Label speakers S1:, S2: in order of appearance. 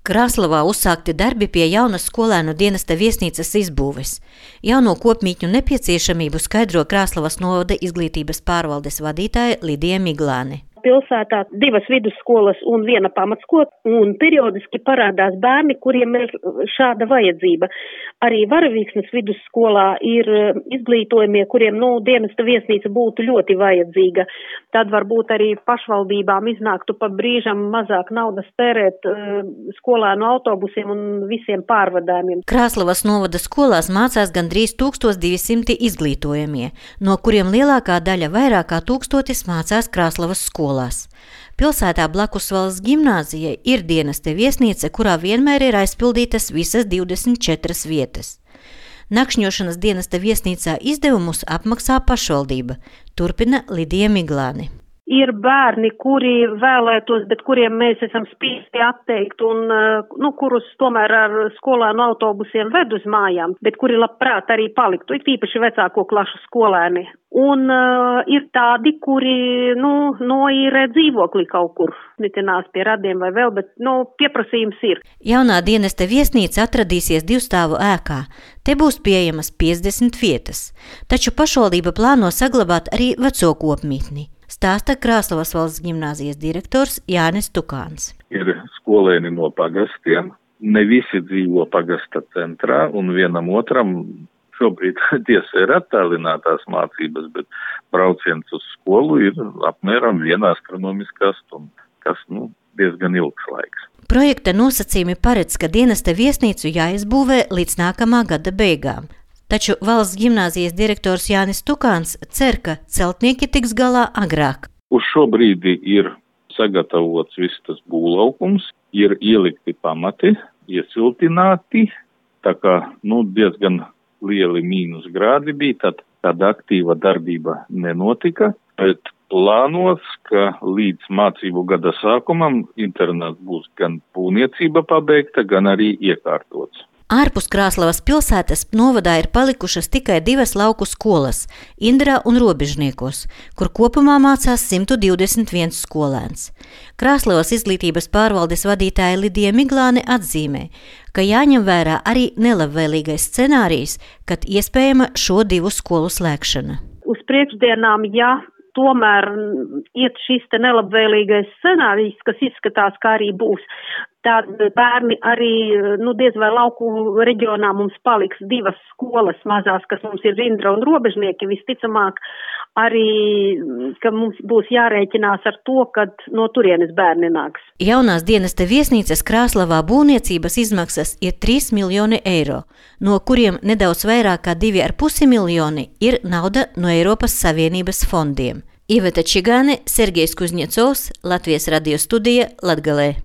S1: Krāslavā uzsākti darbi pie jaunas skolēnu dienesta viesnīcas izbūves. Jauno kopmītņu nepieciešamību skaidro Krāslavas novada izglītības pārvaldes vadītāja Lidija Miglāne.
S2: Pilsētā 2 vidusskolas un 1 pamatskola, un periodiski parādās bērni, kuriem ir šāda vajadzība. Arī Varavīksnes vidusskolā ir izglītojumie, kuriem dienesta viesnīca būtu ļoti vajadzīga. Tad varbūt arī pašvaldībām iznāktu pa brīžam mazāk naudas tērēt skolēnu autobusiem un visiem pārvadājumiem.
S1: Krāslavas novada skolās mācās gandrīz 1200 izglītojumie, no kuriem lielākā daļa vairāk kā 1000 mācās Krāslavas skolās. Pilsētā blakus valsts gimnāzijai ir dienesta viesnīca, kurā vienmēr ir aizpildītas visas 24 vietas. Nakšņošanas dienesta viesnīcā izdevumus apmaksā pašvaldība, turpina Lidija Miglāne.
S2: Ir bērni, kuri vēlētos, bet kuriem mēs esam spiesti atteikt un kurus tomēr ar skolēnu autobusiem ved uz mājām, bet kuri labprāt arī paliktu, it īpaši vecāko klašu skolēni. Un ir tādi, kuri noīrē dzīvokli kaut kur, netinās pie radiem vai vēl, bet pieprasījums ir.
S1: Jaunā dienesta viesnīca atradīsies 2 stāvu ēkā. Te būs pieejamas 50 vietas, taču pašvaldība plāno saglabāt arī veco kopmītni. Stāsta Krāslavas valsts gimnāzijas direktors Jānis Tukāns.
S3: Ir skolēni no pagastiem, ne visi dzīvo pagasta centrā, un vienam otram šobrīd tiesa ir attālinātās mācības, bet brauciens uz skolu ir apmēram 1 astronomiskā stunda, kas diezgan ilgs laiks.
S1: Projekta nosacījumi paredz, ka dienesta viesnīcu jāizbūvē līdz nākamā gada beigām. Taču valsts gimnāzijas direktors Jānis Tukāns cer, ka celtnieki tiks galā agrāk.
S3: Uz šo brīdi ir sagatavots viss tas būvlaukums, ir ielikti pamati, iesiltināti, tā kā diezgan lieli mīnusgrādi bija, tad aktīva darbība nenotika, bet plānos, ka līdz mācību gada sākumam internāts būs gan būvniecība pabeigta, gan arī iekārtots.
S1: Ārpus Krāslavas pilsētas novadā ir palikušas tikai 2 lauku skolas – Indrā un Robežniekos, kur kopumā mācās 121 skolēns. Krāslavas izglītības pārvaldes vadītāja Lidija Miglāne atzīmē, ka jāņem vērā arī nelabvēlīgais scenārijs, kad iespējama šo 2 skolu slēgšana.
S2: Uz priekšdienām, tomēr iet šis te nelabvēlīgais scenārijs, kas izskatās, kā arī būs, tad bērni arī, diez vai lauku reģionā mums paliks 2 skolas mazās, kas mums ir Indra un Robežnieki, visticamāk arī, ka mums būs jārēķinās ar to, kad no turienes bērni nāks.
S1: Jaunās dienesta viesnīcas Krāslavā būvniecības izmaksas ir 3 miljoni eiro, no kuriem nedaudz vairāk kā 2,5 miljoni ir nauda no Eiropas Savienības fondiem. Iveta Čigāne, Sergejs Kuzņecovs, Latvijas radio studija, Latgalē.